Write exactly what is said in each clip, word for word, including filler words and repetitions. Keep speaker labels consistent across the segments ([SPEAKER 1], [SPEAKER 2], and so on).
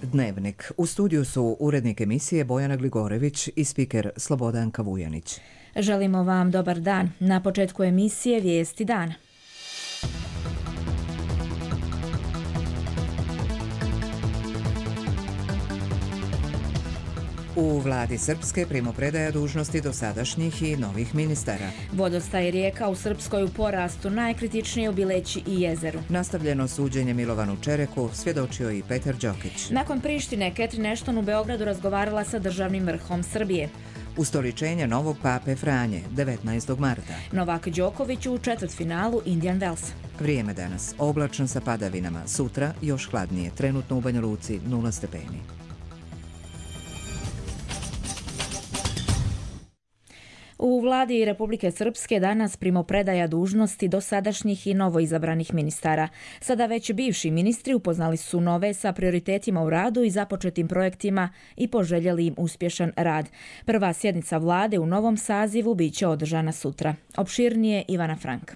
[SPEAKER 1] Dnevnik. U studiju su urednik emisije Bojana Gligorević i spiker Slobodanka Vujanić.
[SPEAKER 2] Želimo vam dobar dan. Na početku emisije Vijesti dana.
[SPEAKER 1] U vladi Srpske primopredaja dužnosti dosadašnjih i novih ministara.
[SPEAKER 2] Vodostaj rijeka u Srpskoj u porastu, najkritičnije u Bileći i Jezeru.
[SPEAKER 1] Nastavljeno suđenje Milovanu Čereku, svjedočio i Petar Đokić.
[SPEAKER 2] Nakon Prištine, Catherine Ashton u Beogradu razgovarala sa državnim vrhom Srbije.
[SPEAKER 1] Ustoličenje novog pape Franje, devetnaestog marta.
[SPEAKER 2] Novak Đoković u četvrtfinalu Indian Wells.
[SPEAKER 1] Vrijeme danas, oblačno sa padavinama, sutra još hladnije, trenutno u Banja Luci nula stepeni.
[SPEAKER 2] U vladi Republike Srpske danas primopredaja dužnosti dosadašnjih i novoizabranih ministara. Sada već bivši ministri upoznali su nove sa prioritetima u radu i započetim projektima i poželjeli im uspješan rad. Prva sjednica vlade u novom sazivu biće održana sutra. Opširnije Ivana Frank.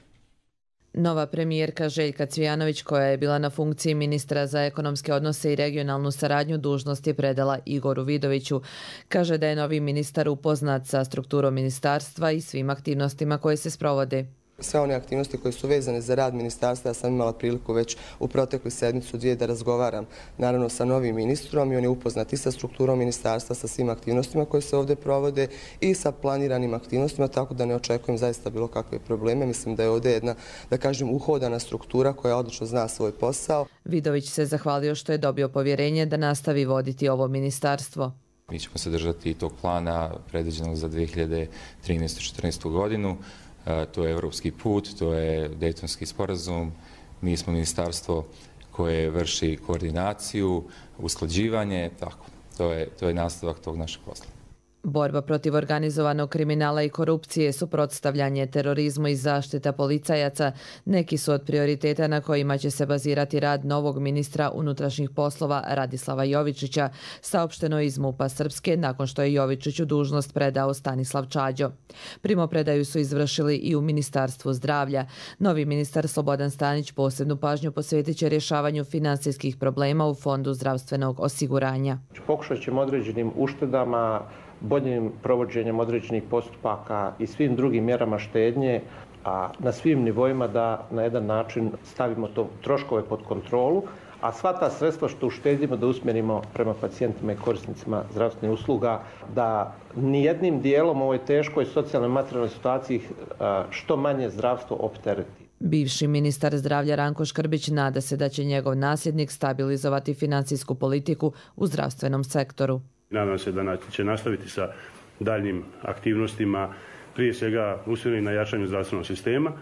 [SPEAKER 3] Nova premijerka Željka Cvijanović, koja je bila na funkciji ministra za ekonomske odnose i regionalnu saradnju, dužnost je predala Igoru Vidoviću. Kaže da je novi ministar upoznat sa strukturom ministarstva i svim aktivnostima koje se sprovode.
[SPEAKER 4] Sve one aktivnosti koje su vezane za rad ministarstva, ja sam imala priliku već u protekli sedmicu dvije da razgovaram naravno sa novim ministrom i on je upoznat i sa strukturom ministarstva, sa svim aktivnostima koje se ovdje provode i sa planiranim aktivnostima, tako da ne očekujem zaista bilo kakve probleme. Mislim da je ovdje jedna, da kažem, uhodana struktura koja odlično zna svoj posao.
[SPEAKER 3] Vidović se zahvalio što je dobio povjerenje da nastavi voditi ovo ministarstvo.
[SPEAKER 5] Mi ćemo se držati i tog plana predviđenog za dvije hiljade trinaestu četrnaestu godinu. To je evropski put, to je Dejtonski sporazum. Mi smo ministarstvo koje vrši koordinaciju, usklađivanje, tako. To je, to je nastavak tog našeg posla.
[SPEAKER 3] Borba protiv organizovanog kriminala i korupcije, suprotstavljanje terorizmu i zaštita policajaca neki su od prioriteta na kojima će se bazirati rad novog ministra unutrašnjih poslova Radislava Jovičića, saopšteno iz MUP-a Srpske nakon što je Jovičiću dužnost predao Stanislav Čađo. Primopredaju su izvršili i u Ministarstvu zdravlja. Novi ministar Slobodan Stanić posebnu pažnju posvetit će rješavanju finansijskih problema u Fondu zdravstvenog osiguranja.
[SPEAKER 6] Pokušat ćemo određenim uštedama, boljim provođenjem određenih postupaka i svim drugim mjerama štednje, a na svim nivoima da na jedan način stavimo to troškove pod kontrolu, a sva ta sredstva što uštedimo da usmjerimo prema pacijentima i korisnicima zdravstvenih usluga, da nijednim dijelom u ovoj teškoj socijalnoj materijalnoj situaciji što manje zdravstvo optereti.
[SPEAKER 3] Bivši ministar zdravlja Ranko Škrbić nada se da će njegov nasljednik stabilizovati financijsku politiku u zdravstvenom sektoru.
[SPEAKER 7] Nadam se da će nastaviti sa daljnim aktivnostima, prije svega usmjerenim na jačanju zdravstvenog sistema,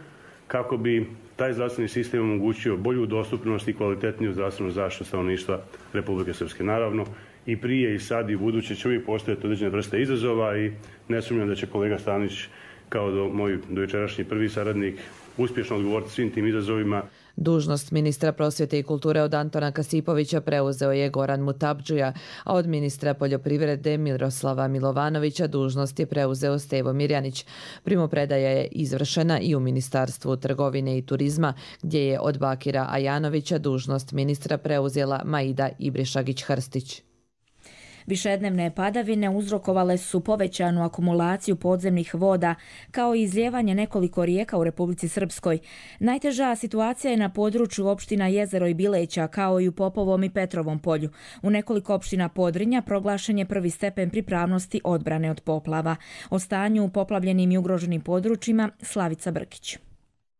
[SPEAKER 7] kako bi taj zdravstveni sistem omogućio bolju dostupnost i kvalitetniju zdravstvenu zaštitu stanovništva Republike Srpske. Naravno, i prije i sad i buduće će uvijek postojati određene vrste izazova i ne sumnjam da će kolega Stanić, kao do moj dojučerašnji prvi saradnik, uspješno odgovoriti svim tim izazovima.
[SPEAKER 3] Dužnost ministra prosvjete i kulture od Antona Kasipovića preuzeo je Goran Mutabdžija, a od ministra poljoprivrede Miroslava Milovanovića dužnost je preuzeo Stevo Mirjanić. Primopredaja je izvršena i u Ministarstvu trgovine i turizma, gdje je od Bakira Ajanovića dužnost ministra preuzela Maida Ibrišagić-Hrstić.
[SPEAKER 2] Višednevne padavine uzrokovale su povećanu akumulaciju podzemnih voda, kao i izlijevanje nekoliko rijeka u Republici Srpskoj. Najteža situacija je na području opština Jezero i Bileća, kao i u Popovom i Petrovom polju. U nekoliko opština Podrinja proglašen je prvi stepen pripravnosti odbrane od poplava. O stanju u poplavljenim i ugroženim područjima Slavica Brkić.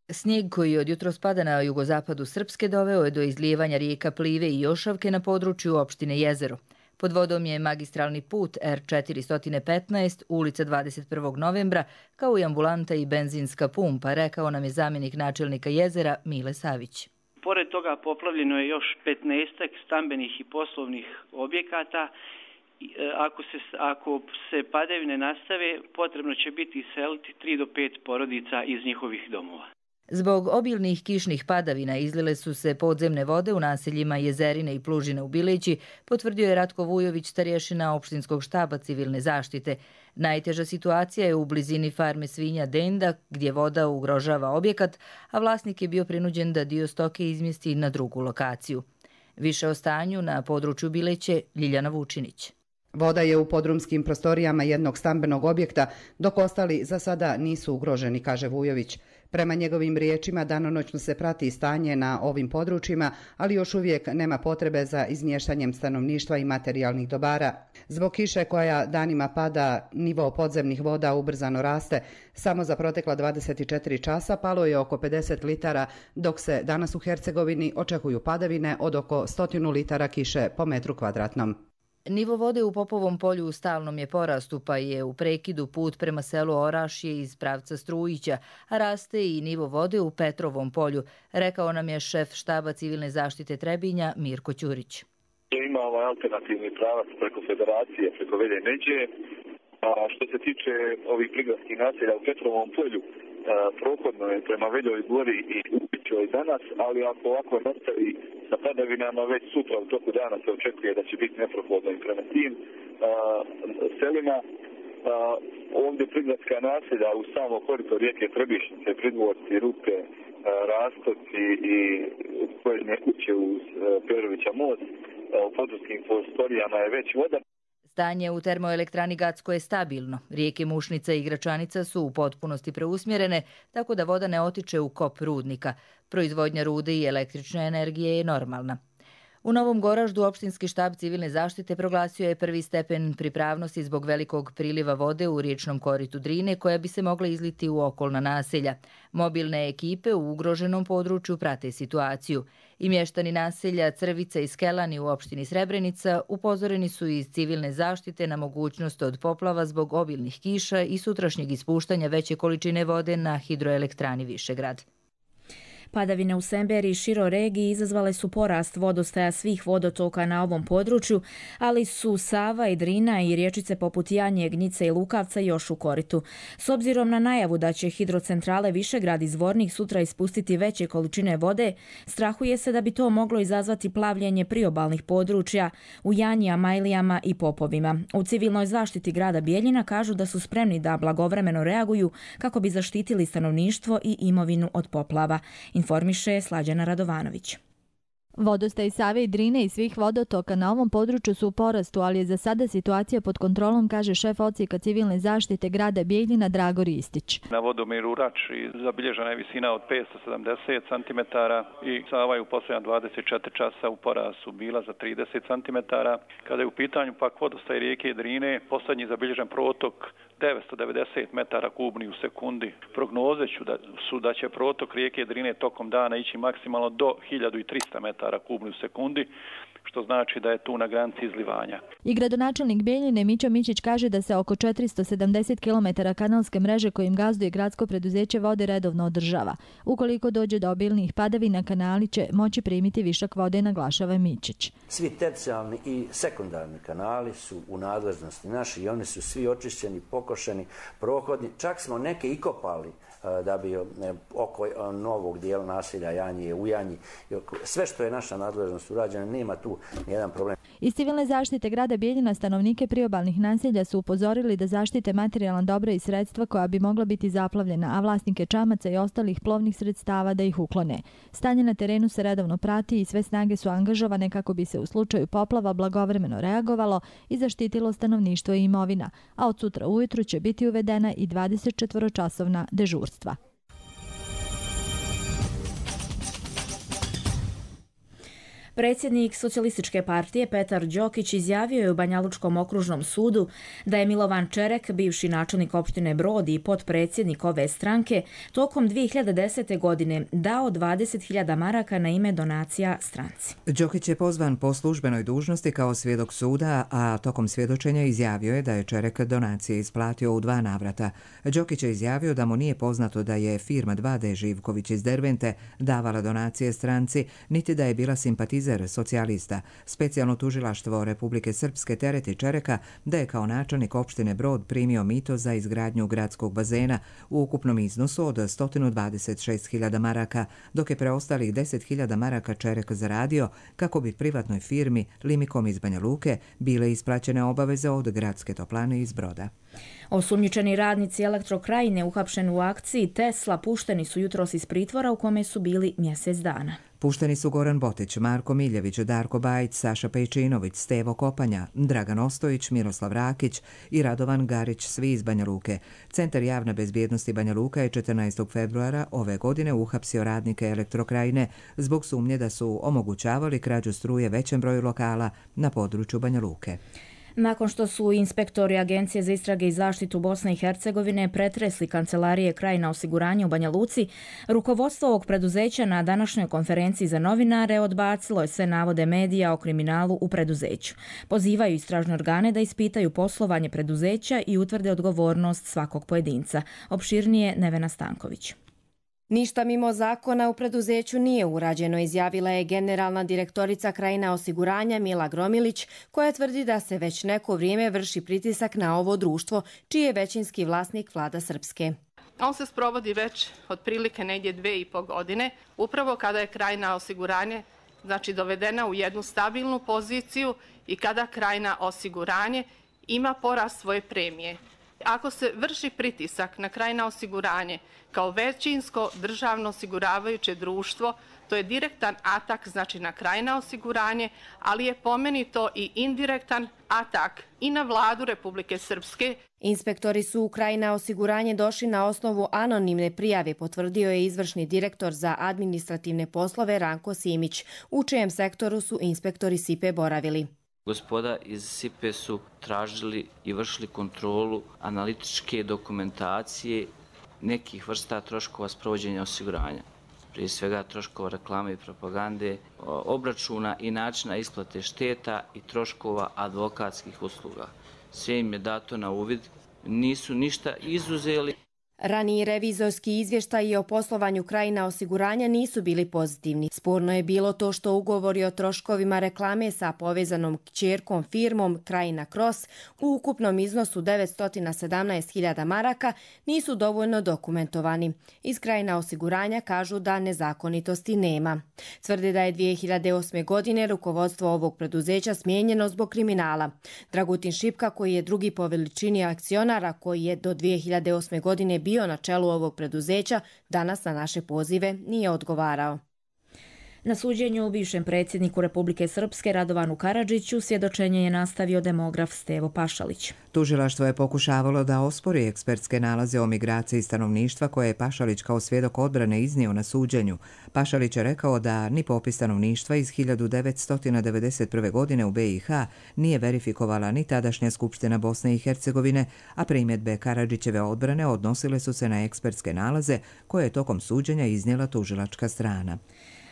[SPEAKER 8] Snijeg koji od jutros pada na jugozapadu Srpske doveo je do izlijevanja rijeka Plive i Jošavke na području opštine Jezero. Pod vodom je magistralni put R četiristo petnaest, ulica dvadeset prvog novembra, kao i ambulanta i benzinska pumpa, rekao nam je zamjenik načelnika Jezera Mile Savić.
[SPEAKER 9] Pored toga poplavljeno je još petnaestak stambenih i poslovnih objekata. Ako se, ako se padavine nastave, potrebno će biti iseliti tri do pet porodica iz njihovih domova.
[SPEAKER 8] Zbog obilnih kišnih padavina izlile su se podzemne vode u naseljima Jezerine i Plužine u Bileći, potvrdio je Ratko Vujović, starješina opštinskog štaba civilne zaštite. Najteža situacija je u blizini farme svinja Denda, gdje voda ugrožava objekat, a vlasnik je bio prinuđen da dio stoke izmjesti na drugu lokaciju. Više o stanju na području Bileće Ljiljana Vučinić.
[SPEAKER 10] Voda je u podrumskim prostorijama jednog stambenog objekta, dok ostali za sada nisu ugroženi, kaže Vujović. Prema njegovim riječima, danonoćno se prati stanje na ovim područjima, ali još uvijek nema potrebe za izmještanjem stanovništva i materijalnih dobara. Zbog kiše koja danima pada, nivo podzemnih voda ubrzano raste. Samo za protekla dvadeset četiri časa palo je oko pedeset litara, dok se danas u Hercegovini očekuju padavine od oko stotinu litara kiše po metru kvadratnom.
[SPEAKER 8] Nivo vode u Popovom polju u stalnom je porastu, pa je u prekidu put prema selu Orašje iz pravca Strujića, a raste i nivo vode u Petrovom polju, rekao nam je šef štaba civilne zaštite Trebinja Mirko Ćurić.
[SPEAKER 11] Ima ovaj alternativni pravac preko Federacije, preko Velje Međe, a što se tiče ovih prigradskih naselja u Petrovom polju, prohodno je prema Veljoj gori i Ubićoj danas, ali ako ovako nastavi sa padavinama, već sutra u toku dana se očekuje da će biti neprohodno i prema tim a, selima. A, ovdje prigradska naselja u samo korito rijeke Trebišnice, Pridvorci, Rupe, a, Rastoci i pojedine kuće uz Perovića most, a, u područnim prostorijama je već voda.
[SPEAKER 8] Stanje u termoelektrani Gacko je stabilno. Rijeke Mušnica i Gračanica su u potpunosti preusmjerene, tako da voda ne otiče u kop rudnika. Proizvodnja rude i električne energije je normalna. U Novom Goraždu opštinski štab civilne zaštite proglasio je prvi stepen pripravnosti zbog velikog priliva vode u riječnom koritu Drine koja bi se mogla izliti u okolna naselja. Mobilne ekipe u ugroženom području prate situaciju. I mještani naselja Crvica i Skelani u opštini Srebrenica upozoreni su iz civilne zaštite na mogućnost od poplava zbog obilnih kiša i sutrašnjeg ispuštanja veće količine vode na hidroelektrani Višegrad.
[SPEAKER 2] Padavine u Semberi i široj regiji izazvale su porast vodostaja svih vodotoka na ovom području, ali su Sava i Drina i riječice poput Janje, Gnjice i Lukavca još u koritu. S obzirom na najavu da će hidrocentrale Višegrad i Zvornik sutra ispustiti veće količine vode, strahuje se da bi to moglo izazvati plavljenje priobalnih područja u Janji, Amajlijama i Popovima. U civilnoj zaštiti grada Bijeljina kažu da su spremni da blagovremeno reaguju kako bi zaštitili stanovništvo i imovinu od poplava. Informiše Slađana Radovanović.
[SPEAKER 12] Vodostaj Save i Drine i svih vodotoka na ovom području su u porastu, ali je za sada situacija pod kontrolom, kaže šef odsjeka civilne zaštite grada Bijeljina Drago Ristić.
[SPEAKER 13] Na vodomeru Rači zabilježena je visina od petsto sedamdeset centimetara i Sava je u posljednja dvadeset četiri časa u porastu bila za trideset centimetara. Kada je u pitanju pak vodostaj rijeke Drine, posljednji zabilježen protok devetsto devedeset metara kubnih u sekundi. Prognoze su da će protok rijeke Drine tokom dana ići maksimalno do hiljadu trista metara kubnih u sekundi, što znači da je tu na granici izlivanja.
[SPEAKER 12] I gradonačelnik Bijeljine Mićo Mićić kaže da se oko četiristo sedamdeset kilometara kanalske mreže kojim gazduje gradsko preduzeće vode redovno održava. Ukoliko dođe do obilnih padavina, kanali će moći primiti višak vode, naglašava Mićić.
[SPEAKER 14] Svi tercijalni i sekundarni kanali su u nadležnosti naši i oni su svi očišćeni, pokošeni, prohodni. Čak smo neke i kopali da bi oko novog dijela naselja Janje, u Janji, sve što je naša nadležnost urađena, nema tu nijedan problem.
[SPEAKER 12] Iz civilne zaštite grada Bijeljina stanovnike priobalnih naselja su upozorili da zaštite materijalna dobra i sredstva koja bi mogla biti zaplavljena, a vlasnike čamaca i ostalih plovnih sredstava da ih uklone. Stanje na terenu se redovno prati i sve snage su angažovane kako bi se u slučaju poplava blagovremeno reagovalo i zaštitilo stanovništvo i imovina, a od sutra ujutru će biti uvedena i dvadesetčetvoročasovna dežurstva.
[SPEAKER 2] Predsjednik Socijalističke partije Petar Đokić izjavio je u Banjalučkom okružnom sudu da je Milovan Čerek, bivši načelnik opštine Brod i potpredsjednik ove stranke, tokom dvije hiljade desete. godine dao dvadeset hiljada maraka na ime donacija stranci.
[SPEAKER 1] Đokić je pozvan po službenoj dužnosti kao svjedok suda, a tokom svjedočenja izjavio je da je Čerek donacije isplatio u dva navrata. Đokić je izjavio da mu nije poznato da je firma dva D Živković iz Dervente davala donacije stranci, niti da je bila simpatizer socijalista. Specijalno tužilaštvo Republike Srpske tereti Čereka da je kao načelnik opštine Brod primio mito za izgradnju gradskog bazena u ukupnom iznosu od sto dvadeset šest hiljada maraka, dok je preostalih deset hiljada maraka Čerek zaradio kako bi privatnoj firmi Limikom iz Banja Luke bile isplaćene obaveze od gradske toplane iz Broda.
[SPEAKER 2] Osumnjičeni radnici Elektrokrajine uhapšeni u akciji Tesla pušteni su jutros iz pritvora u kome su bili mjesec dana.
[SPEAKER 1] Pušteni su Goran Botić, Marko Miljević, Darko Bajić, Saša Pejčinović, Stevo Kopanja, Dragan Ostojić, Miroslav Rakić i Radovan Garić, svi iz Banja Luke. Centar javne bezbjednosti Banja Luka je četrnaestog februara ove godine uhapsio radnike Elektrokrajine zbog sumnje da su omogućavali krađu struje većem broju lokala na području Banja Luke.
[SPEAKER 2] Nakon što su inspektori Agencije za istrage i zaštitu Bosne i Hercegovine pretresli kancelarije Krajina osiguranja u Banja Luci, rukovodstvo ovog preduzeća na današnjoj konferenciji za novinare odbacilo je sve navode medija o kriminalu u preduzeću. Pozivaju istražne organe da ispitaju poslovanje preduzeća i utvrde odgovornost svakog pojedinca. Opširnije Nevena Stanković.
[SPEAKER 15] Ništa mimo zakona u preduzeću nije urađeno, izjavila je generalna direktorica Krajina osiguranja Mila Gromilić, koja tvrdi da se već neko vrijeme vrši pritisak na ovo društvo, čiji je većinski vlasnik Vlada Srpske.
[SPEAKER 16] On se sprovodi već otprilike negdje dve i po godine, upravo kada je Krajina osiguranje znači dovedena u jednu stabilnu poziciju i kada Krajina osiguranje ima porast svoje premije. Ako se vrši pritisak na Krajina osiguranje kao većinsko državno osiguravajuće društvo, to je direktan atak znači na Krajina osiguranje, ali je po meni to i indirektan atak i na vladu Republike Srpske.
[SPEAKER 15] Inspektori su u Krajina osiguranje došli na osnovu anonimne prijave, potvrdio je izvršni direktor za administrativne poslove Ranko Simić, u čijem sektoru su inspektori S I P E boravili.
[SPEAKER 17] Gospoda iz S I P E su tražili i vršili kontrolu analitičke dokumentacije nekih vrsta troškova sprovođenja osiguranja. Prije svega troškova reklame i propagande, obračuna i načina isplate šteta i troškova advokatskih usluga. Sve im je dato na uvid, nisu ništa izuzeli.
[SPEAKER 15] Raniji revizorski izvještaji o poslovanju Krajina osiguranja nisu bili pozitivni. Sporno je bilo to što ugovori o troškovima reklame sa povezanom kćerkom firmom Krajina Cross u ukupnom iznosu devetsto sedamnaest hiljada maraka nisu dovoljno dokumentovani. Iz Krajina osiguranja kažu da nezakonitosti nema. Tvrde da je dvije hiljade osme. godine rukovodstvo ovog preduzeća smijenjeno zbog kriminala. Dragutin Šipka, koji je drugi po veličini akcionara, koji je do dvije hiljade osme. godine bio na čelu ovog preduzeća, danas na naše pozive nije odgovarao.
[SPEAKER 2] Na suđenju bivšem predsjedniku Republike Srpske Radovanu Karadžiću svjedočenje je nastavio demograf Stevo Pašalić.
[SPEAKER 1] Tužilaštvo je pokušavalo da ospori ekspertske nalaze o migraciji stanovništva koje je Pašalić kao svjedok odbrane iznio na suđenju. Pašalić je rekao da ni popis stanovništva iz hiljadu devetsto devedeset prve. godine u B i H nije verifikovala ni tadašnja Skupština Bosne i Hercegovine, a primjedbe Karadžićeve odbrane odnosile su se na ekspertske nalaze koje je tokom suđenja iznijela tužilačka strana.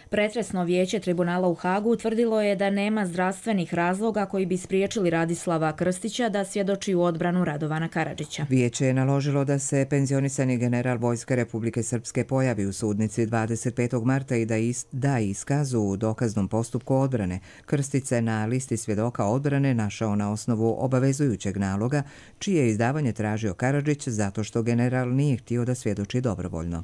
[SPEAKER 2] Pretresno vijeće tribunala u Hagu utvrdilo je da nema zdravstvenih razloga koji bi spriječili Radislava Krstića da svjedoči u odbranu Radovana Karadžića.
[SPEAKER 1] Vijeće je naložilo da se penzionisani general Vojske Republike Srpske pojavi u sudnici dvadeset petog marta i da is, da iskazu u dokaznom postupku odbrane. Krstić se na listi svjedoka odbrane našao na osnovu obavezujućeg naloga, čije izdavanje tražio Karadžić zato što general nije htio da svjedoči dobrovoljno.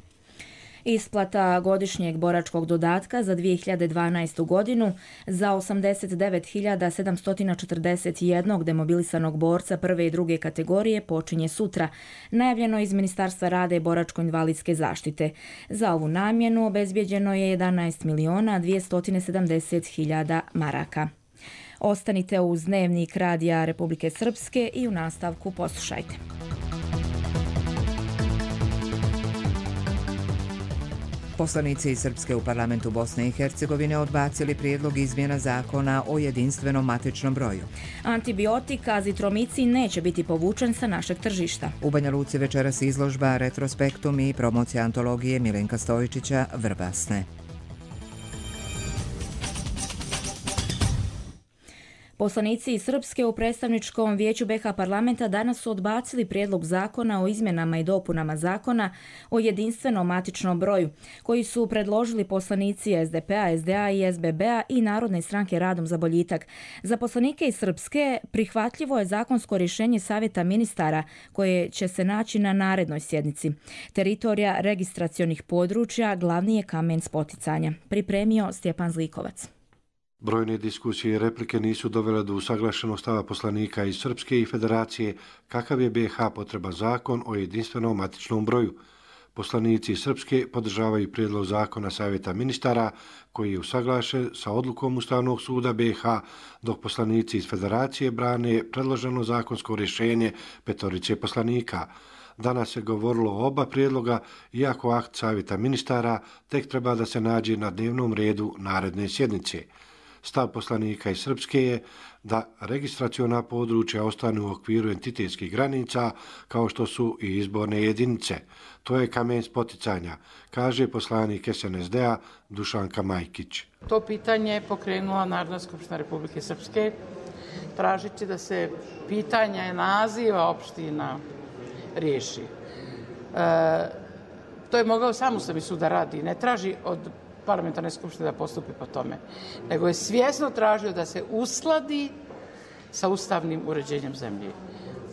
[SPEAKER 2] Isplata godišnjeg boračkog dodatka za dvije hiljade dvanaestu. godinu za osamdeset devet hiljada sedamsto četrdeset jedan demobilisanog borca prve i druge kategorije počinje sutra, najavljeno iz Ministarstva rada i boračko-invalidske zaštite. Za ovu namjenu obezbijeđeno je jedanaest miliona dvjesto sedamdeset hiljada maraka. Ostanite uz Dnevnik Radija Republike Srpske i u nastavku poslušajte.
[SPEAKER 1] Poslanici Srpske u parlamentu Bosne i Hercegovine odbacili prijedlog izmjena zakona o jedinstvenom matičnom broju.
[SPEAKER 2] Antibiotik azitromicin neće biti povučen sa našeg tržišta.
[SPEAKER 1] U Banja Luci večeras izložba Retrospektum i promocija antologije Milenka Stojičića Vrbasne.
[SPEAKER 2] Poslanici iz Srpske u predstavničkom vijeću B H parlamenta danas su odbacili prijedlog zakona o izmjenama i dopunama zakona o jedinstvenom matičnom broju, koji su predložili poslanici S D P a, S D A i S B B a i Narodne stranke Radom za boljitak. Za poslanike iz Srpske prihvatljivo je zakonsko rješenje Savjeta ministara koje će se naći na narednoj sjednici. Teritorija registracionih područja glavni je kamen spoticanja. Pripremio Stjepan Zlikovac.
[SPEAKER 18] Brojne diskusije i replike nisu dovele do usaglašenog stava poslanika iz Srpske i Federacije kakav je B H potreba zakon o jedinstvenom matičnom broju. Poslanici Srpske podržavaju prijedlog zakona Savjeta ministara koji je usaglašen sa odlukom Ustavnog suda B i H, dok poslanici iz Federacije brane predloženo zakonsko rješenje petorice poslanika. Danas se govorilo o oba prijedloga, iako akt Savjeta ministara tek treba da se nađe na dnevnom redu naredne sjednice. Stav poslanika iz Srpske je da registraciona područja ostanu u okviru entitetskih granica kao što su i izborne jedinice. To je kamen spoticanja, kaže poslanik S N S D-a Dušanka Majkić.
[SPEAKER 19] To pitanje je pokrenula Narodna skupština Republike Srpske, tražeći da se pitanje naziva opština riješi. E, to je mogao sam Ustavni sud da radi, ne traži od parlamentarne skupštine da postupi po tome, nego je svjesno tražio da se uskladi sa ustavnim uređenjem zemlje.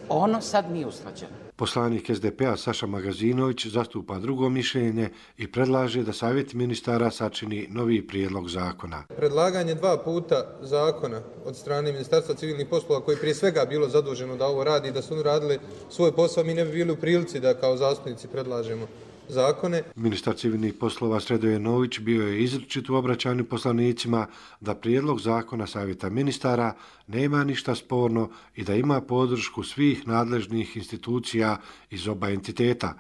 [SPEAKER 19] Ono sad nije usklađeno.
[SPEAKER 18] Poslanik S D P-a Saša Magazinović zastupa drugo mišljenje i predlaže da Savjet ministara sačini novi prijedlog zakona.
[SPEAKER 20] Predlaganje dva puta zakona od strane Ministarstva civilnih poslova, koji prije svega bilo zaduženo da ovo radi i da su oni radili svoj posao, mi ne bi bili u prilici da kao zastupnici predlažemo zakone.
[SPEAKER 18] Ministar civilnih poslova Sredoje Nović bio je izričit u obraćanju poslanicima da prijedlog zakona Savjeta ministara nema ništa sporno i da ima podršku svih nadležnih institucija iz oba entiteta.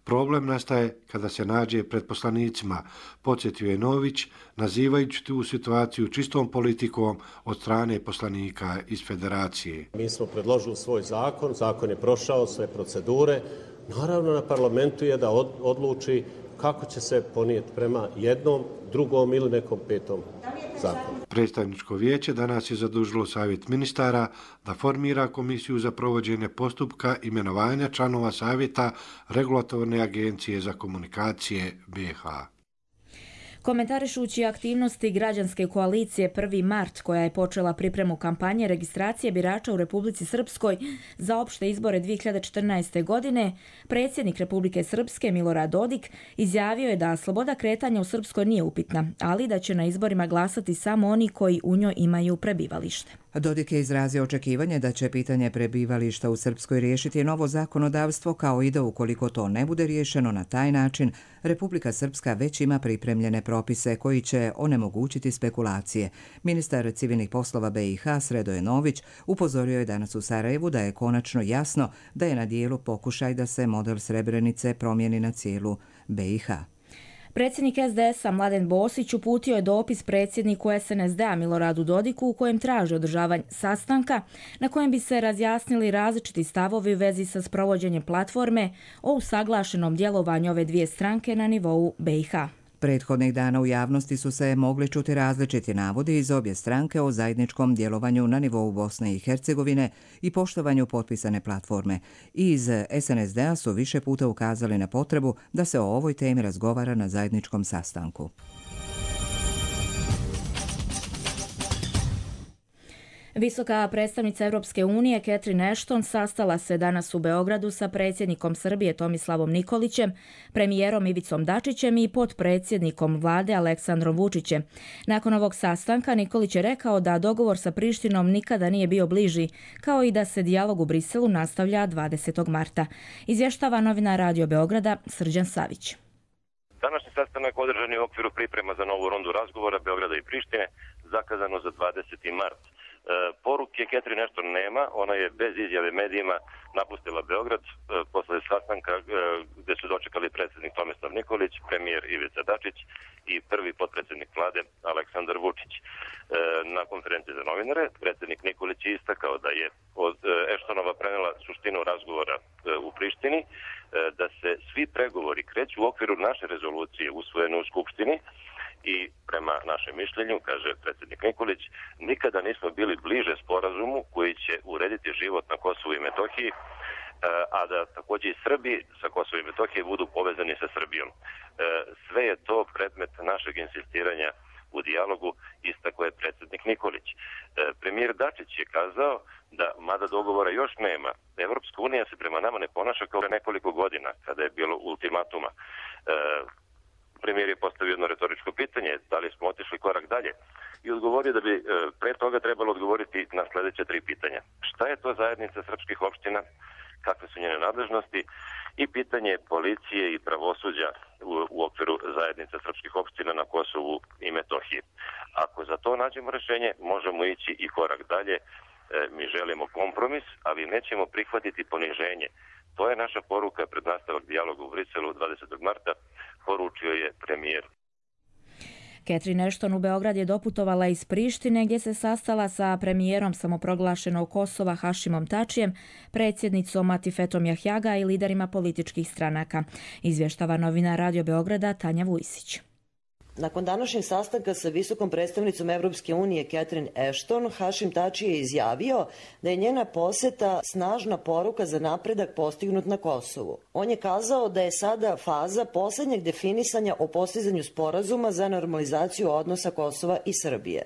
[SPEAKER 18] Problem nastaje kada se nađe pred poslanicima, podsjetio je Nović, nazivajući tu situaciju čistom politikom od strane poslanika iz Federacije.
[SPEAKER 21] Mi smo predložili svoj zakon, zakon je prošao sve procedure. Naravno, na parlamentu je da odluči kako će se ponijeti prema jednom, drugom ili nekom petom zakonu.
[SPEAKER 18] Predstavničko vijeće danas je zadužilo Savjet ministara da formira komisiju za provođenje postupka imenovanja članova Savjeta Regulatorne agencije za komunikacije B i H.
[SPEAKER 2] Komentarišući aktivnosti građanske koalicije prvi mart, koja je počela pripremu kampanje registracije birača u Republici Srpskoj za opšte izbore dvije hiljade četrnaeste. godine, predsjednik Republike Srpske Milorad Dodik izjavio je da sloboda kretanja u Srpskoj nije upitna, ali da će na izborima glasati samo oni koji u njoj imaju prebivalište.
[SPEAKER 1] Dodik je izrazio očekivanje da će pitanje prebivališta u Srpskoj riješiti novo zakonodavstvo, kao i da ukoliko to ne bude riješeno na taj način, Republika Srpska već ima pripremljene propise koji će onemogućiti spekulacije. Ministar civilnih poslova B i H Sredoje Nović upozorio je danas u Sarajevu da je konačno jasno da je na dijelu pokušaj da se model Srebrenice promijeni na cijelu B i H.
[SPEAKER 2] Predsjednik S D S-a Mladen Bosić uputio je dopis predsjedniku S N S D-a Miloradu Dodiku u kojem traži održavanje sastanka na kojem bi se razjasnili različiti stavovi u vezi sa sprovođenjem platforme o usaglašenom djelovanju ove dvije stranke na nivou B i H.
[SPEAKER 1] Prethodnih dana u javnosti su se mogli čuti različiti navodi iz obje stranke o zajedničkom djelovanju na nivou Bosne i Hercegovine i poštovanju potpisane platforme. I iz S N S D-a su više puta ukazali na potrebu da se o ovoj temi razgovara na zajedničkom sastanku.
[SPEAKER 2] Visoka predstavnica Europske unije Catherine Ashton sastala se danas u Beogradu sa predsjednikom Srbije Tomislavom Nikolićem, premijerom Ivicom Dačićem i potpredsjednikom vlade Aleksandrom Vučićem. Nakon ovog sastanka Nikolić je rekao da dogovor sa Prištinom nikada nije bio bliži, kao i da se dijalog u Briselu nastavlja dvadesetog marta. Izvještava novinar Radio Beograda Srđan Savić.
[SPEAKER 22] Današnji sastanak održan je u okviru priprema za novu rundu razgovora Beograda i Prištine, zakazano za dvadeseti mart. Poruke Catherine Ashton nema, ona je bez izjave medijima napustila Beograd posle sastanka gdje su dočekali predsjednik Tomislav Nikolić, premijer Ivica Dačić i prvi potpredsjednik vlade Aleksandar Vučić. Na konferenciji za novinare predsjednik Nikolić je istakao da je od Ashtonova prenela suštinu razgovora u Prištini, da se svi pregovori kreću u okviru naše rezolucije usvojene u Skupštini i prema našem mišljenju, kaže predsjednik Nikolić, nikada nismo bili bliže sporazumu koji će urediti život na Kosovu i Metohiji, a da također i Srbi sa Kosovo i Metohije budu povezani sa Srbijom. Sve je to predmet našeg insistiranja u dijalogu, istako je predsjednik Nikolić. Premijer Dačić je kazao da, mada dogovora još nema, Evropska unija se prema nama ne ponaša kao nekoliko godina, kada je bilo ultimatuma. Premijer je postavio jedno retoričko pitanje, da li smo otišli korak dalje, i odgovorio da bi pre toga trebalo odgovoriti na sljedeće tri pitanja. Šta je to zajednica srpskih opština, kakve su njene nadležnosti i pitanje policije i pravosuđa u, u okviru zajednice srpskih opština na Kosovu i Metohiji. Ako za to nađemo rješenje, možemo ići i korak dalje. E, mi želimo kompromis, ali nećemo prihvatiti poniženje. To je naša poruka pred nastavak dijaloga u Briselu dvadesetog marta, poručio je premijer.
[SPEAKER 2] Catherine Ashton u Beograd je doputovala iz Prištine gdje se sastala sa premijerom samoproglašenog Kosova Hašimom Tačijem, predsjednicom Atifetom Jahjaga i liderima političkih stranaka. Izvještava novinar Radio Beograda Tanja Vujsić.
[SPEAKER 4] Nakon današnjeg sastanka sa visokom predstavnicom Evropske unije Catherine Ashton, Hašim Tači je izjavio da je njena posjeta snažna poruka za napredak postignut na Kosovu. On je kazao da je sada faza posljednjeg definisanja o postizanju sporazuma za normalizaciju odnosa Kosova i Srbije.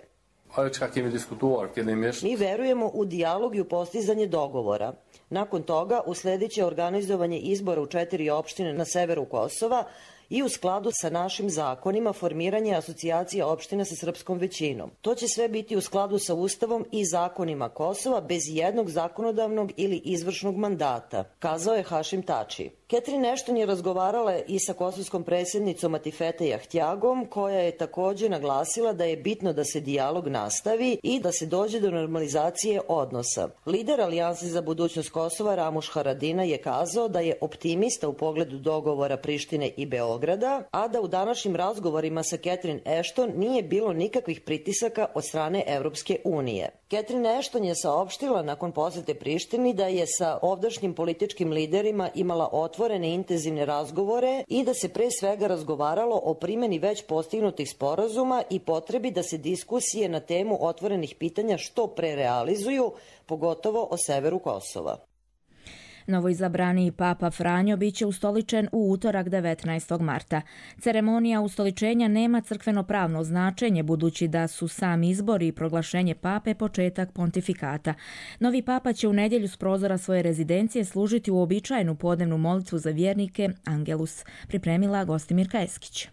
[SPEAKER 4] Mi verujemo u dijalog i u postizanje dogovora. Nakon toga usledit će organizovanje izbora u četiri opštine na severu Kosova i u skladu sa našim zakonima formiranje asocijacije opština sa srpskom većinom. To će sve biti u skladu sa Ustavom i zakonima Kosova bez jednog zakonodavnog ili izvršnog mandata, kazao je Hašim Tači. Catherine Ashton je razgovarala i sa kosovskom predsjednicom Atifete Jahjagom, koja je također naglasila da je bitno da se dijalog nastavi i da se dođe do normalizacije odnosa. Lider Alijanse za budućnost Kosova Ramuš Haradina je kazao da je optimista u pogledu dogovora Prištine i Beograda, a da u današnjim razgovorima sa Catherine Ashton nije bilo nikakvih pritisaka od strane Evropske unije. Catherine Ashton je saopštila nakon posjete Prištini da je sa ovdašnjim političkim liderima imala otvorene intenzivne razgovore i da se pre svega razgovaralo o primjeni već postignutih sporazuma i potrebi da se diskusije na temu otvorenih pitanja što pre realizuju, pogotovo o severu Kosova.
[SPEAKER 2] Novoizabrani Papa Franjo biće ustoličen u utorak devetnaestog marta. Ceremonija ustoličenja nema crkveno-pravno značenje budući da su sam izbor i proglašenje pape početak pontifikata. Novi papa će u nedjelju s prozora svoje rezidencije služiti uobičajenu podnevnu molitvu za vjernike Angelus, pripremila Gostimirka Eskić.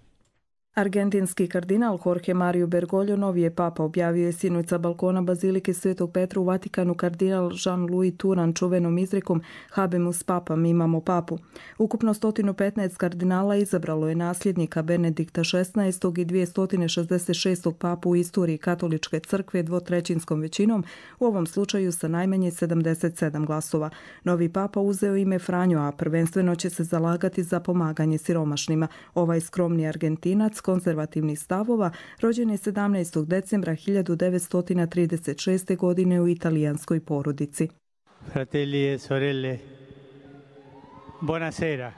[SPEAKER 5] Argentinski kardinal Jorge Mario Bergoglio novi je papa, objavio je sinoć sa balkona Bazilike Svetog Petra u Vatikanu kardinal Jean-Louis Turan čuvenom izrekom Habemus papam, imamo papu. Ukupno sto petnaest kardinala izabralo je nasljednika Benedikta šesnaestog i dvjesto šezdeset šestog papu u istoriji katoličke crkve dvotrećinskom većinom, u ovom slučaju sa najmanje sedamdeset sedam glasova. Novi papa uzeo ime Franjo, a prvenstveno će se zalagati za pomaganje siromašnima. Ovaj skromni Argentinac konzervativnih stavova rođen je sedamnaestog decembra hiljadu devetsto trideset šeste. godine u italijanskoj porodici.
[SPEAKER 23] Fratelli e sorelle, buonasera.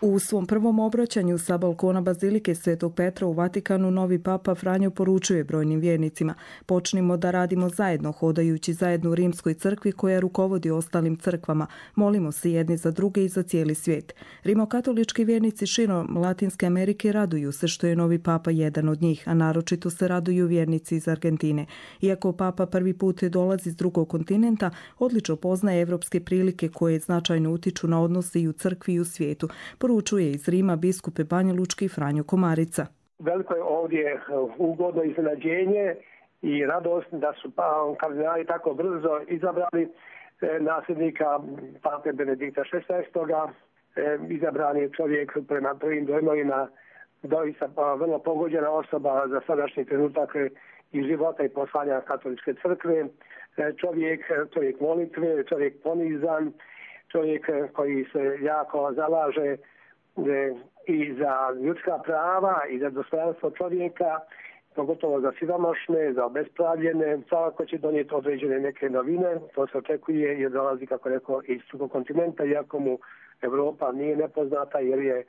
[SPEAKER 5] U svom prvom obraćanju sa balkona Bazilike Svetog Petra u Vatikanu novi papa Franjo poručuje brojnim vjernicima: počnimo da radimo zajedno, hodajući zajedno u Rimskoj crkvi koja rukovodi ostalim crkvama. Molimo se jedni za druge i za cijeli svijet. Rimokatolički vjernici širom Latinske Amerike raduju se što je novi papa jedan od njih, a naročito se raduju vjernici iz Argentine. Iako papa prvi put dolazi s drugog kontinenta, odlično poznaje evropske prilike koje značajno utiču na odnose i u crkvi i u svijetu. Poručuje iz Rima biskup Banja Lučki Franjo Komarica.
[SPEAKER 24] Veliko je ovdje ugodno iznenađenje i radost da su kardinali tako brzo izabrali nasljednika pape Benedikta šesnaestog. Izabran je čovjek prema prvim dojmovima doista vrlo pogođena osoba za sadašnji trenutak i života i poslanja katoličke crkve. Čovjek, čovjek molitve, čovjek ponizan, čovjek koji se jako zalaže i za ljudska prava i za dostojanstvo čovjeka, pogotovo za siromašne, za obespravljene. Svakako će donijeti određene neke novine, to se očekuje jer dolazi, kako rekao, iz drugog kontinenta, iako mu Evropa nije nepoznata jer je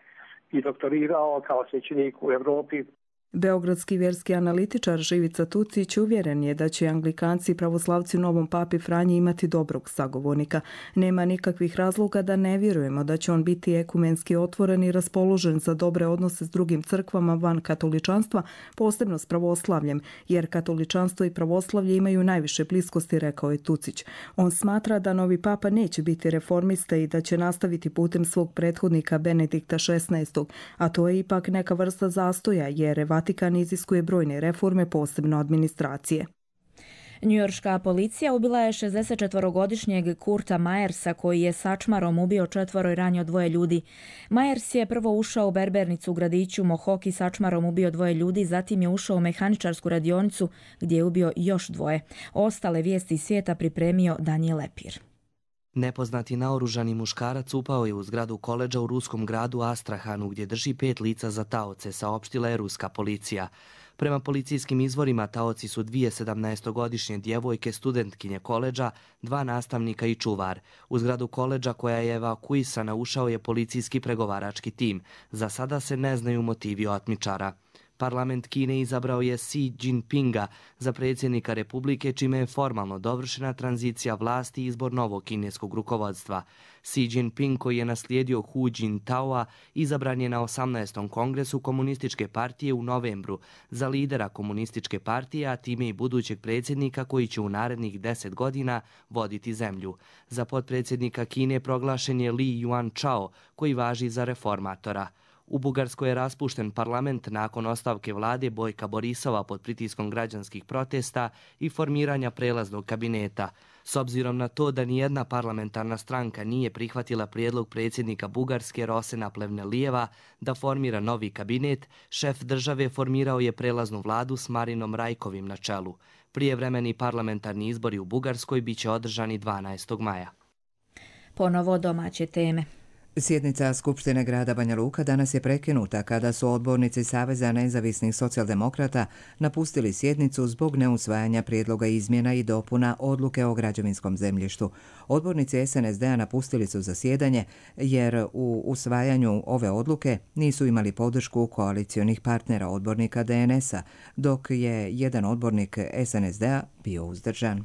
[SPEAKER 24] i doktorirao kao svećenik u Evropi.
[SPEAKER 5] Beogradski vjerski analitičar Živica Tucić uvjeren je da će Anglikanci i pravoslavci u novom papi Franji imati dobrog sagovornika. Nema nikakvih razloga da ne vjerujemo da će on biti ekumenski otvoren i raspoložen za dobre odnose s drugim crkvama van katoličanstva, posebno s pravoslavljem, jer katoličanstvo i pravoslavlje imaju najviše bliskosti, rekao je Tucić. On smatra da novi papa neće biti reformista i da će nastaviti putem svog prethodnika Benedikta šesnaestog, a to je ipak neka vrsta zastoja, jer Vatikan iziskuje brojne reforme, posebno administracije.
[SPEAKER 2] Njujorška policija ubila je šezdesetčetvorogodišnjeg Kurta Majersa koji je sačmarom ubio četvoro i ranio dvoje ljudi. Majers je prvo ušao u berbernicu u gradiću Mohawk i sačmarom ubio dvoje ljudi, zatim je ušao u mehaničarsku radionicu gdje je ubio još dvoje. Ostale vijesti iz svijeta pripremio Daniel Lepir.
[SPEAKER 3] Nepoznati naoružani muškarac upao je u zgradu koledža u ruskom gradu Astrahanu gdje drži pet lica za taoce, saopštila je ruska policija. Prema policijskim izvorima taoci su dvije sedamnaestogodišnje djevojke, studentkinje koledža, dva nastavnika i čuvar. U zgradu koledža koja je evakuisana ušao je policijski pregovarački tim. Za sada se ne znaju motivi otmičara. Parlament Kine izabrao je Xi Jinpinga za predsjednika Republike, čime je formalno dovršena tranzicija vlasti i izbor novog kineskog rukovodstva. Xi Jinping, koji je naslijedio Hu Jintaoa, izabran je na osamnaestom kongresu Komunističke partije u novembru za lidera Komunističke partije, a time i budućeg predsjednika koji će u narednih deset godina voditi zemlju. Za potpredsjednika Kine proglašen je Li Yuanchao, koji važi za reformatora. U Bugarskoj je raspušten parlament nakon ostavke vlade Bojka Borisova pod pritiskom građanskih protesta i formiranja prelaznog kabineta. S obzirom na to da nijedna parlamentarna stranka nije prihvatila prijedlog predsjednika Bugarske Rosena Plevnelijeva da formira novi kabinet, šef države formirao je prelaznu vladu s Marinom Rajkovim na čelu. Prijevremeni parlamentarni izbori u Bugarskoj biće održani dvanaestog maja.
[SPEAKER 2] Ponovo domaće teme.
[SPEAKER 1] Sjednica Skupštine grada Banja Luka danas je prekinuta kada su odbornici Saveza nezavisnih socijaldemokrata napustili sjednicu zbog neusvajanja prijedloga izmjena i dopuna odluke o građevinskom zemljištu. Odbornici es en es de a napustili su zasjedanje jer u usvajanju ove odluke nisu imali podršku koalicionih partnera odbornika de en es a, dok je jedan odbornik es en es de a bio uzdržan.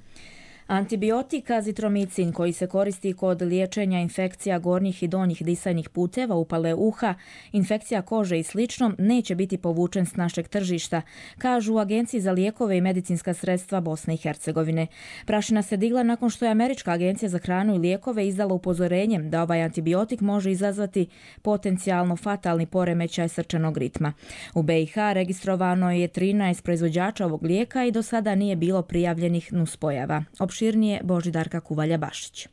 [SPEAKER 2] Antibiotik azitromicin koji se koristi kod liječenja infekcija gornjih i donjih disajnih puteva, upale uha, infekcija kože i slično neće biti povučen s našeg tržišta, kažu u Agenciji za lijekove i medicinska sredstva Bosne i Hercegovine. Prašina se digla nakon što je Američka agencija za hranu i lijekove izdala upozorenje da ovaj antibiotik može izazvati potencijalno fatalni poremećaj srčanog ritma. U be i ha registrovano je trinaest proizvođača ovog lijeka i do sada nije bilo prijavljenih nuspojava. Opširnije Božidarka Kuvalja-Bašić.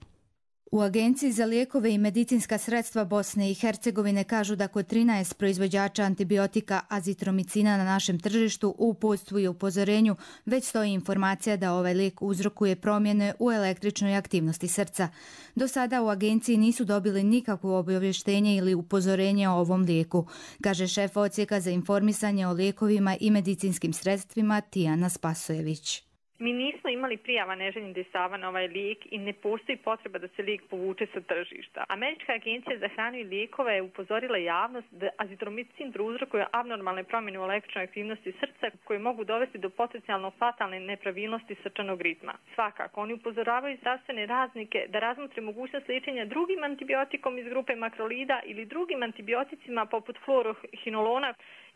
[SPEAKER 6] U Agenciji za lijekove i medicinska sredstva Bosne i Hercegovine kažu da kod trinaest proizvođača antibiotika azitromicina na našem tržištu u uputstvu i upozorenju već stoji informacija da ovaj lijek uzrokuje promjene u električnoj aktivnosti srca. Do sada u agenciji nisu dobili nikakvo obavještenje ili upozorenje o ovom lijeku, kaže šef odsjeka za informisanje o lijekovima i medicinskim sredstvima Tijana Spasojević.
[SPEAKER 7] Mi nismo imali prijava neželjenih dejstava na ovaj lijek i ne postoji potreba da se lijek povuče sa tržišta. Američka agencija za hranu i lijekove je upozorila javnost da azitromicin prouzrokuje abnormalne promjene u električnoj aktivnosti srca koje mogu dovesti do potencijalno fatalne nepravilnosti srčanog ritma. Svakako, oni upozoravaju zdravstvene radnike da razmotre mogućnost liječenja drugim antibiotikom iz grupe makrolida ili drugim antibioticima poput fluorohinolona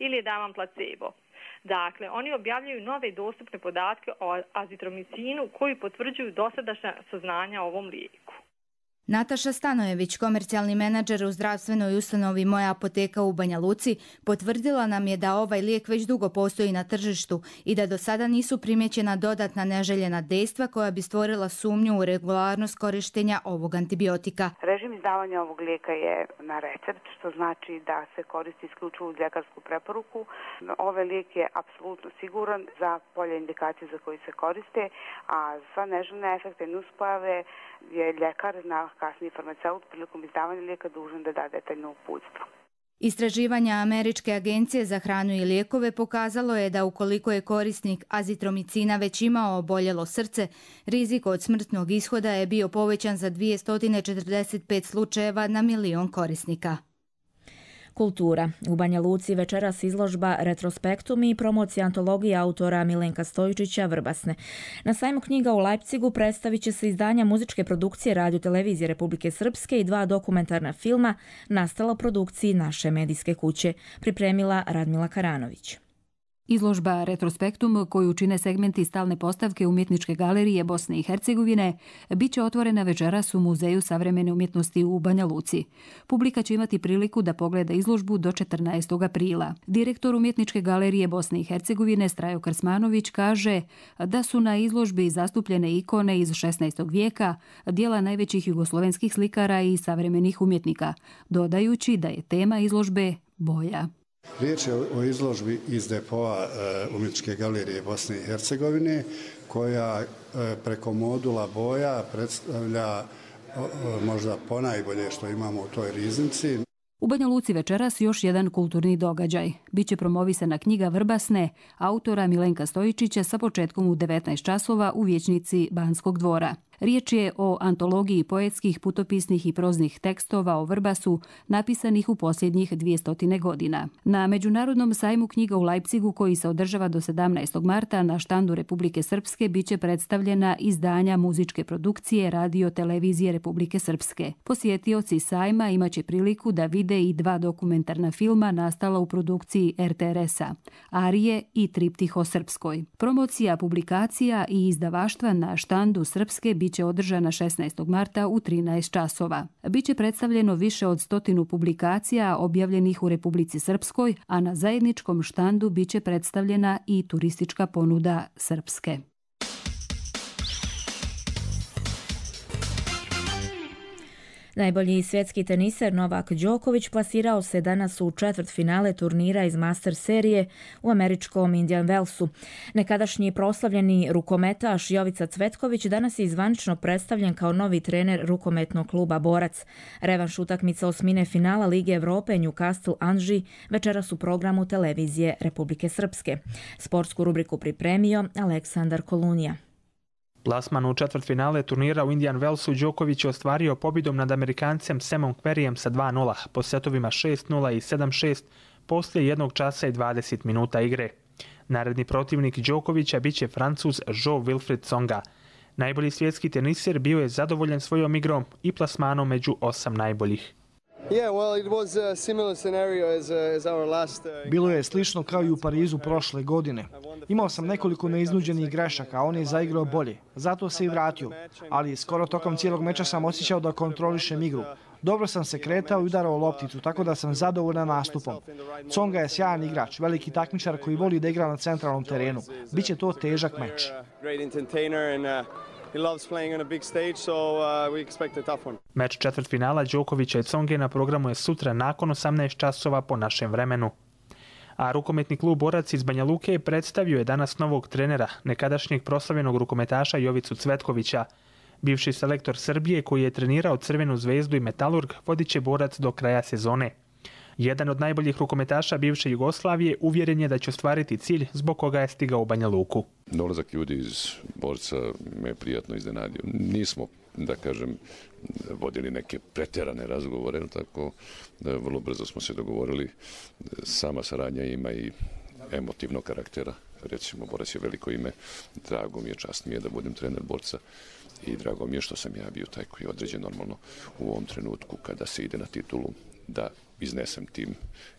[SPEAKER 7] ili je davan placebo. Dakle, oni objavljaju nove dostupne podatke o azitromicinu koji potvrđuju dosadašnja saznanja o ovom lijeku.
[SPEAKER 6] Nataša Stanojević, komercijalni menadžer u zdravstvenoj ustanovi Moja apoteka u Banja Luci, potvrdila nam je da ovaj lijek već dugo postoji na tržištu i da do sada nisu primjećena dodatna neželjena dejstva koja bi stvorila sumnju u regularnost korištenja ovog antibiotika.
[SPEAKER 9] Režim izdavanja ovog lijeka je na recept, što znači da se koristi isključivo uz ljekarsku preporuku. Ovaj lijek je apsolutno siguran za polje indikacije za koji se koriste, a sva neželjene efekte i nuspojave je ljekar na kasniji farmaceut prilikom izdavanja lijeka dužan da da detaljno uputstvo.
[SPEAKER 6] Istraživanja Američke agencije za hranu i lijekove pokazalo je da ukoliko je korisnik azitromicina već imao oboljelo srce, rizik od smrtnog ishoda je bio povećan za dvjesto četrdeset pet slučajeva na milion korisnika.
[SPEAKER 2] Kultura. U Banja Luci večeras izložba Retrospektum i promocija antologije autora Milenka Stojičića Vrbasne. Na sajmu knjiga u Leipzigu predstavit će se izdanja muzičke produkcije Radio televizije Republike Srpske i dva dokumentarna filma nastala u produkciji naše medijske kuće, pripremila Radmila Karanović.
[SPEAKER 8] Izložba Retrospektum, koju čine segmenti stalne postavke Umjetničke galerije Bosne i Hercegovine, bit će otvorena večeras u Muzeju savremene umjetnosti u Banja Luci. Publika će imati priliku da pogleda izložbu do četrnaestog aprila. Direktor Umjetničke galerije Bosne i Hercegovine Strajo Krsmanović kaže da su na izložbi zastupljene ikone iz šesnaestog vijeka, dijela najvećih jugoslovenskih slikara i savremenih umjetnika, dodajući da je tema izložbe boja.
[SPEAKER 10] Riječ je o izložbi iz depoa Umjetničke galerije Bosne i Hercegovine, koja preko modula boja predstavlja možda ponajbolje što imamo u toj riznici.
[SPEAKER 8] U Banja Luci večeras još jedan kulturni događaj. Biće promovisana knjiga Vrbasne autora Milenka Stojičića sa početkom u devetnaest časova u vijećnici Banskog dvora. Riječ je o antologiji poetskih, putopisnih i proznih tekstova o Vrbasu napisanih u posljednjih dvjesto godina. Na Međunarodnom sajmu knjiga u Leipzigu, koji se održava do sedamnaestog marta, na štandu Republike Srpske biće predstavljena izdanja muzičke produkcije Radio Televizije Republike Srpske. Posjetioci sajma imaće priliku da vide i dva dokumentarna filma nastala u produkciji er te er es-a, Arije i Triptih o Srpskoj. Promocija publikacija i izdavaštva na štandu Srpske biće će održana šesnaestog marta u trinaest časova. Biće predstavljeno više od stotinu publikacija objavljenih u Republici Srpskoj, a na zajedničkom štandu biće predstavljena i turistička ponuda Srpske.
[SPEAKER 2] Najbolji svjetski teniser Novak Đoković plasirao se danas u četvrtfinale turnira iz Master serije u američkom Indian Wellsu. Nekadašnji proslavljeni rukometaš Jovica Cvetković danas je zvanično predstavljen kao novi trener rukometnog kluba Borac. Revanš utakmica osmine finala Lige Evrope Newcastle Anži večeras u programu televizije Republike Srpske. Sportsku rubriku pripremio Aleksandar Kolunija.
[SPEAKER 11] Plasman u četvrtfinale turnira u Indian Wellsu Đoković je ostvario pobjedom nad Amerikancem Samom Querryjem sa dva nula po setovima šest nula i sedam šest poslije jednog časa i dvadeset minuta igre. Naredni protivnik Đokovića biće Francuz Jean-Wilfried Tsonga. Najbolji svjetski teniser bio je zadovoljan svojom igrom i plasmanom među osam najboljih.
[SPEAKER 13] Bilo je slično kao i u Parizu prošle godine. Imao sam nekoliko neiznuđenih grešaka, a on je zaigrao bolje. Zato se i vratio. Ali skoro tokom cijelog meča sam osjećao da kontrolišem igru. Dobro sam se kretao i udarao lopticu, tako da sam zadovoljan nastupom. Tsonga je sjajan igrač, veliki takmičar koji voli da igra na centralnom terenu. Biće to težak meč.
[SPEAKER 11] He loves playing on a big stage, so uh, we expect a tough one. Meč četvrtfinala Đokovića i Tsonge na programu je sutra nakon osamnaest časova po našem vremenu. A rukometni klub Borac iz Banja Luke predstavio je danas novog trenera, nekadašnjeg proslavljenog rukometaša Jovicu Cvetkovića. Bivši selektor Srbije koji je trenirao Crvenu zvezdu i Metalurg vodit će Borac do kraja sezone. Jedan od najboljih rukometaša bivše Jugoslavije uvjeren je da će ostvariti cilj zbog koga je stigao u Banja Luku.
[SPEAKER 25] Dolazak ljudi iz Borca me je prijatno iznenadio. Nismo, da kažem, vodili neke pretjerane razgovore, tako da vrlo brzo smo se dogovorili. Sama saradnja ima i emotivnog karaktera. Recimo, Borac je veliko ime. Drago mi je, čast mi je da budem trener Borca i drago mi je što sam ja bio taj koji je određen normalno u ovom trenutku kada se ide na titulu da iznesem tim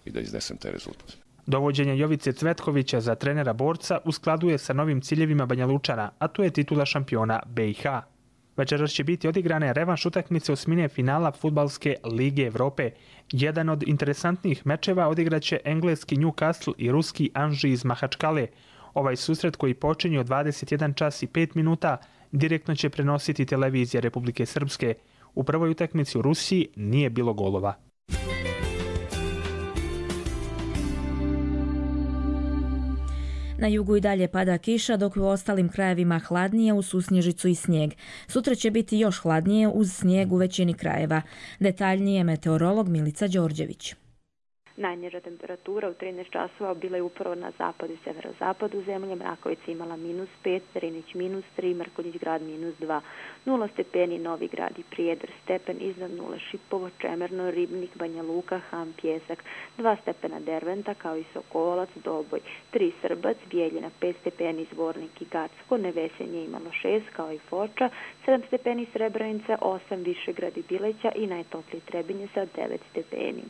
[SPEAKER 25] i da iznesem taj rezultat.
[SPEAKER 11] Dovođenje Jovice Cvetkovića za trenera Borca u skladu je sa novim ciljevima Banja Lučana, a to je titula šampiona be i ha. Večeras će biti odigrane revanš utakmice osmine finala Fudbalske lige Evrope. Jedan od interesantnih mečeva odigraće engleski Newcastle i ruski Anži iz Mahačkale. Ovaj susret koji počinje od dvadeset jedan čas i pet minuta direktno će prenositi televizija Republike Srpske. U prvoj utakmici u Rusiji nije bilo golova.
[SPEAKER 2] Na jugu i dalje pada kiša, dok u ostalim krajevima hladnije uz susnježicu i snijeg. Sutra će biti još hladnije uz snijeg u većini krajeva. Detaljnije meteorolog Milica Đorđević.
[SPEAKER 26] Najniža temperatura u trinaest časova bila je upravo na zapadu i severozapadu zemlje. Mrakovica imala minus pet, Drinić minus tri, Mrkonjić grad minus dva, nula stepeni Novi Grad i Prijedor, stepen iznad nule Šipovo, Čemerno, Ribnik, Banja Luka, Ham, Pjesak, dva stepena Derventa kao i Sokolac, Doboj, tri Srbac, Bijeljina, pet stepeni Zvornik i Gacko, Nevesenje imalo šest kao i Foča, sedam stepeni Srebrenica, osam Višegrad i Bileća i najtopliji Trebinje sa devet stepeni.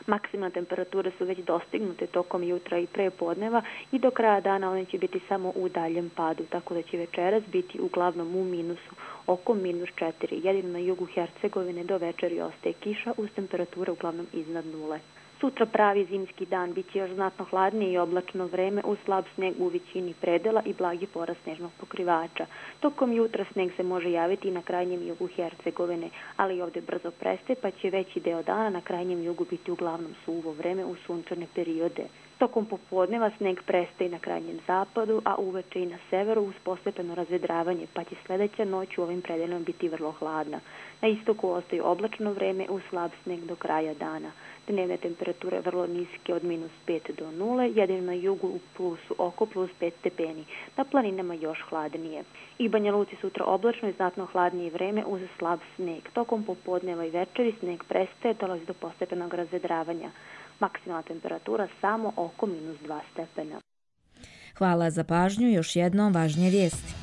[SPEAKER 26] Maksimalne temperature su već dostignute tokom jutra i prepodneva i do kraja dana one će biti samo u daljem padu, tako da će večeras biti uglavnom u minusu, oko minus četiri. Jedino na jugu Hercegovine do večeri ostaje kiša uz temperature uglavnom iznad nule. Sutra pravi zimski dan, bit će još znatno hladnije i oblačno vreme uz slab sneg u većini predela i blagi porast snežnog pokrivača. Tokom jutra sneg se može javiti i na krajnjem jugu Hercegovine, ali i ovdje brzo prestaje pa će veći deo dana na krajnjem jugu biti uglavnom suvo vreme u sunčane periode. Tokom popodneva sneg prestaje na krajnjem zapadu, a uveče i na severu uz postepeno razvedravanje, pa će sljedeća noć u ovim predelima biti vrlo hladna. Na istoku ostaju oblačno vreme uz slab sneg do kraja dana. Dnevne temperature vrlo niske od minus pet do nule, jedino na jugu u plusu oko plus pet stepeni, na planinama još hladnije. I Banja Luci sutra oblačno i znatno hladnije vreme uz slab sneg. Tokom popodneva i večeri sneg prestaje, dolazi do postepenog razvedravanja. Maksimalna temperatura samo oko minus dva stepena.
[SPEAKER 2] Hvala za pažnju, još jednom važnije vijesti.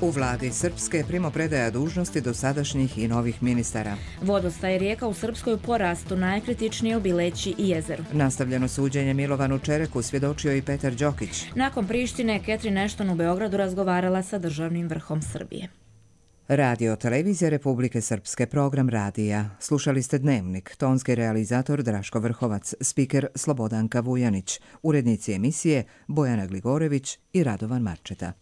[SPEAKER 1] U vladi Srpske primopredaja dužnosti dosadašnjih i novih ministara.
[SPEAKER 2] Vodostaj rijeka u Srpskoj u porastu, najkritičnije u Bileći i jezeru.
[SPEAKER 1] Nastavljeno suđenje Milovanu Čereku svjedočio i Petar Đokić.
[SPEAKER 2] Nakon Prištine, Catherine Ashton u Beogradu razgovarala sa državnim vrhom Srbije.
[SPEAKER 1] Radio Televizija Republike Srpske, program radija. Slušali ste Dnevnik, tonski realizator Draško Vrhovac, spiker Slobodanka Vujanić, urednici emisije Bojana Gligorević i Radovan Marčeta.